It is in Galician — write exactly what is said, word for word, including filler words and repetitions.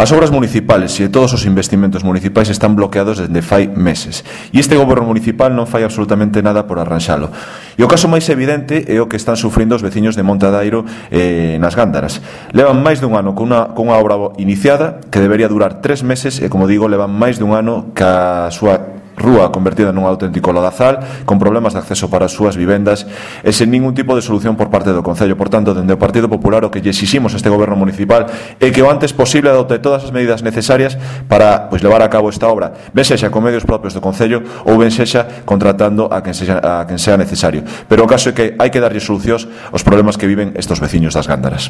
As obras municipales e todos os investimentos municipais están bloqueados desde fai meses e este goberno municipal non fai absolutamente nada por arranxalo. E o caso máis evidente é o que están sufrindo os veciños de Montadairo eh, nas Gándaras. Levan máis dun ano con unha, con unha obra iniciada que debería durar tres meses e, como digo, levan máis dun ano ca súa rúa convertida nun auténtico lodazal, con problemas de acceso para as súas vivendas e sen ningún tipo de solución por parte do Concello. Por tanto, dende o Partido Popular o que lle exiximos a este goberno municipal é que o antes posible adopte todas as medidas necesarias para pois, levar a cabo esta obra, ben sexa con medios propios do Concello ou ben sexa contratando a quen, sexa, a quen sea necesario. Pero o caso é que hai que darlle solucións aos problemas que viven estes veciños das Gándaras.